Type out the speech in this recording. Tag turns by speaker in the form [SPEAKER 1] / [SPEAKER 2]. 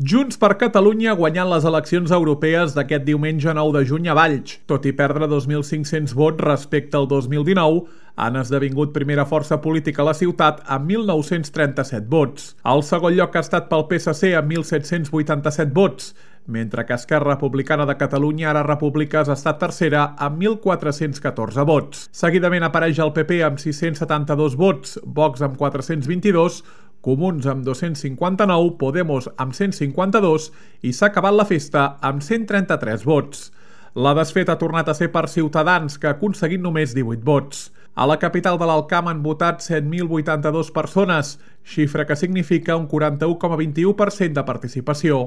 [SPEAKER 1] Junts per Catalunya ha guanyat les eleccions europees d'aquest diumenge 9 de juny a Valls. Tot i perdre 2.500 vots respecte al 2019, han esdevingut primera força política a la ciutat amb 1.937 vots. El segon lloc ha estat pel PSC amb 1.787 vots, mentre que Esquerra Republicana de Catalunya, ara Repúbliques, ha estat tercera amb 1.414 vots. Seguidament apareix el PP amb 672 vots, Vox amb 422, Comuns amb 259, Podemos amb 152 i s'ha acabat la festa amb 133 vots. La desfeta ha tornat a ser per Ciutadans, que ha aconseguit només 18 vots. A la capital de l'Alcamp han votat 7.082 persones, xifra que significa un 41,21% de participació.